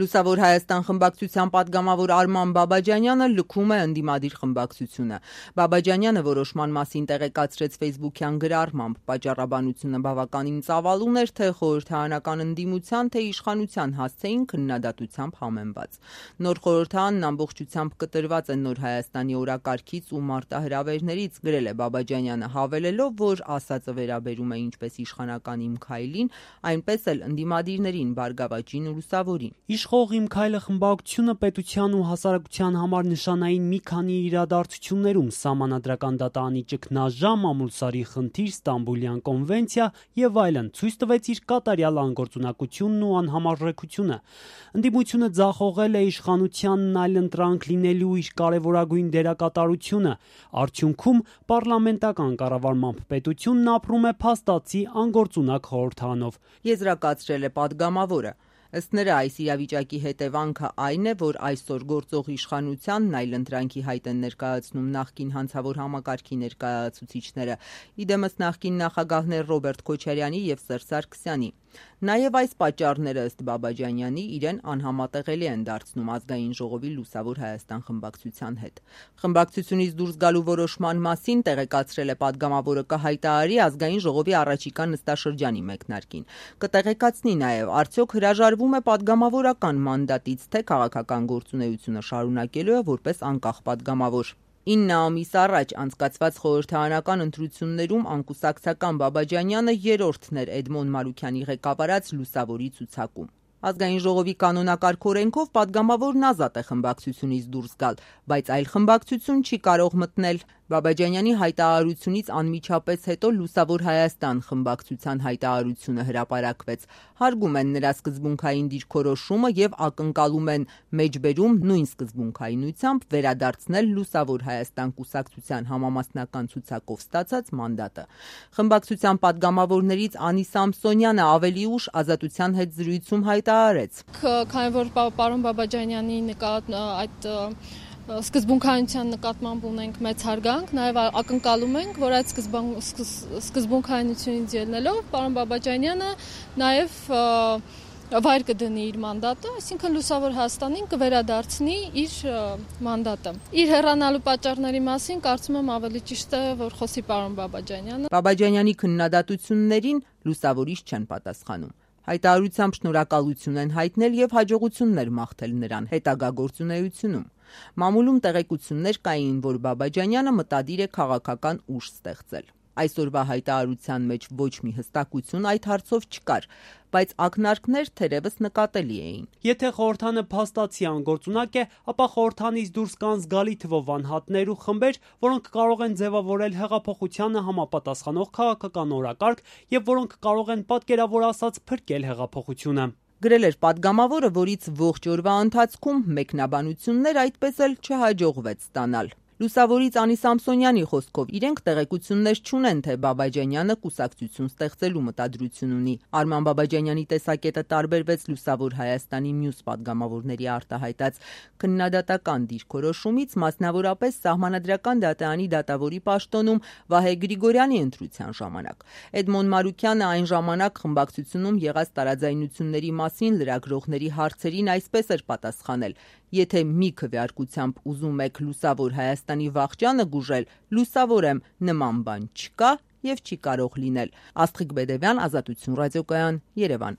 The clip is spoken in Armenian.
Լուսավոր Հայաստան խմբակցության պատգամավոր Արման Բաբաջանյանը լքում է ընդդիմադիր խմբակցությունը։ Բաբաջանյանը որոշման մասին տեղեկացրեց ֆեյսբուքյան գրառմամբ։ Պատճառաբանությունը բավականին ծավալուն էր թե խորհրդարանական ընդդիմության, թե իշխանության հասցեին քննադատությամբ համեմված։ Նոր խորհրդարանն ամբողջությամբ կտրված է Նոր Հայաստանի օրակարգից ու մարտահրավերներից, գրել է Բաբաջանյանը, հավելելով, որ ասածը վերաբերում է ինչպես իշխանական Իմ քայլին, այնպես էլ ընդդիմադիրներին, Բարգավաճին ու Լուսավորին։ Իշխող Իմ քայլը խմբակցությունը պետության ու հասարակության համար նշանային մի քանի իրադարձություններում սահմանադրական դատարանի ճգնաժամ, Ամուլսարի խնդիր, Ստամբուլյան կոնվենցիա եւ այլն ցույց տվեց իր կատարյալ անգործունակությունն ու անհամարժեքությունը։ Ընդդիմությունը ձախողել է իշխանությանն այլընտրանք լինելու իր կարևորագույն դերակատարությունը։ Արդյունքում պարլամենտական կառավարմամբ պետությունն ապրում է փաստացի անգործունակ խորհրդարանով, եզրակացրել է պատգամավորը։ Ըստ նրա, այս իրավիճակի հետևանքը այն է, որ այսօր գործող իշխանությանն այլընտրանքի հայտ են ներկայացնում նախկին հանցավոր համակարգի ներկայացուցիչները, իդեմս նախկին նախագահներ Ռոբերտ Քոչարյանի եւ Սերժ Սարգսյանի։ Նաև այս պատճառները ըստ Բաբաջանյանի իրեն անհամատեղելի են դարձնում Ազգային ժողովի Լուսավոր Հայաստան խմբակցության հետ։ Խմբակցությունից դուրս գալու որոշման մասին տեղեկացրել է պատգամավորը կհայտարարի Ազգային ժողովի առաջիկա նստաշրջանի մեկնարկին։ Կտեղեկացնի նաև, արդյոք հրաժարվում է պատգամավորական մանդատից, թե քաղաքական գործունեությունը շարունակելու է որպես անկախ պատգամավոր։ 9 ամիս առաջ անցկացված խորհրդարանական ընտրություններում անկուսակցական Բաբաջանյանը երրորդն էր Էդմոն Մարուքյանի ղեկավարած Լուսավորի ցուցակում։ Ազգային ժողովի կանոնակարգ օրենքով պատգամավորն ազատ է խմբակցությունից դուրս գալ, բայց այլ խմբակցություն չի կարող մտնել։ Բաբաջանյանի հայտարարությունից անմիջապես հետո Լուսավոր Հայաստան խմբակցության հայտարարությունը հրապարակվեց։ Հարգում են նրա սկզբունքային դիրքորոշումը եւ ակնկալում են մեջբերում նույն սկզբունքայնությամբ վերադարձնել Լուսավոր Հայաստան կուսակցության համամասնական ցուցակով ստացած մանդատը։ Խմբակցության պատգամավորներից Անի Սամսոնյանը ավելի ուշ Ազատության հետ զրույցում հայտարարեց. Քանի որ պարոն Բաբաջանյանի այդ սկզբունքայնության նկատմամբ ունենք մեծ հարգանք, նաև ակնկալում ենք, որ այդ սկզբունքայնությունից ելնելով պարոն Բաբաջանյանը նաև վայր կդնի իր մանդատը, այսինքն Լուսավոր Հայաստանին կվերադարձնի իր մանդատը։ Իր հեռանալու պատճառների մասին կարծում եմ ավելի ճիշտ է, որ խոսի պարոն Բաբաջանյանը։ Բաբաջանյանի քննադատություններին լուսավորիչ չեն պատասխանում։ Հայտարարությամբ շնորհակալություն են հայտնել եւ հաջողություններ մաղթել նրան հետագա գործունեությունում։ Մամուլում տեղեկություններ կային, որ Բաբաջանյանը մտադիր է քաղաքական ուժ ստեղծել։ Այսօրվա հայտարարության մեջ ոչ մի հստակություն այդ հարցով չկար, բայց ակնարկներ թերևս նկատելի էին։ Եթե խորհրդանը փաստացի անգործունակ է, ապա խորհրդանից դուրս կան զգալի թվով անհատներ ու խմբեր, որոնք կարող են ձևավորել հեղափոխությանը համապատասխանող քաղաքական օրակարգ եւ որոնք կարող են պատկերավոր ասած փրկել հեղափոխությունը։ Գրել էր պատգամավորը, որից ողջ օրվա ընթացքում մեկնաբանություններ այդպես էլ չհաջողվեց ստանալ։ Լուսավորից Անի Սամսոնյանի խոսքով իրենք տեղեկություններ չունեն, թե Բաբաջանյանը կուսակցություն ստեղծելու մտադրություն ունի։ Արման Բաբաջանյանի տեսակետը տարբերվեց Լուսավոր Հայաստանի մյուս պատգամավորների արտահայտած քննադատական դիրքորոշումից, մասնավորապես Սահմանադրական դատարանի դատավորի պաշտոնում Վահե Գրիգորյանի ընտրության ժամանակ։ Էդմոն Մարուքյանը այն ժամանակ խմբակցությունում եղած տարաձայնությունների մասին լրագրողների հարցերին այսպես էր պատասխանել. Եթե մի քվեարկությամբ ուզում եք Լուսավոր Հայաստանի վախճանը գուժել, լուսավոր եմ, նման բան չկա եւ չի կարող լինել։ Աստղիկ Բեդևյան, Ազատություն ռադիոկայան, Երևան։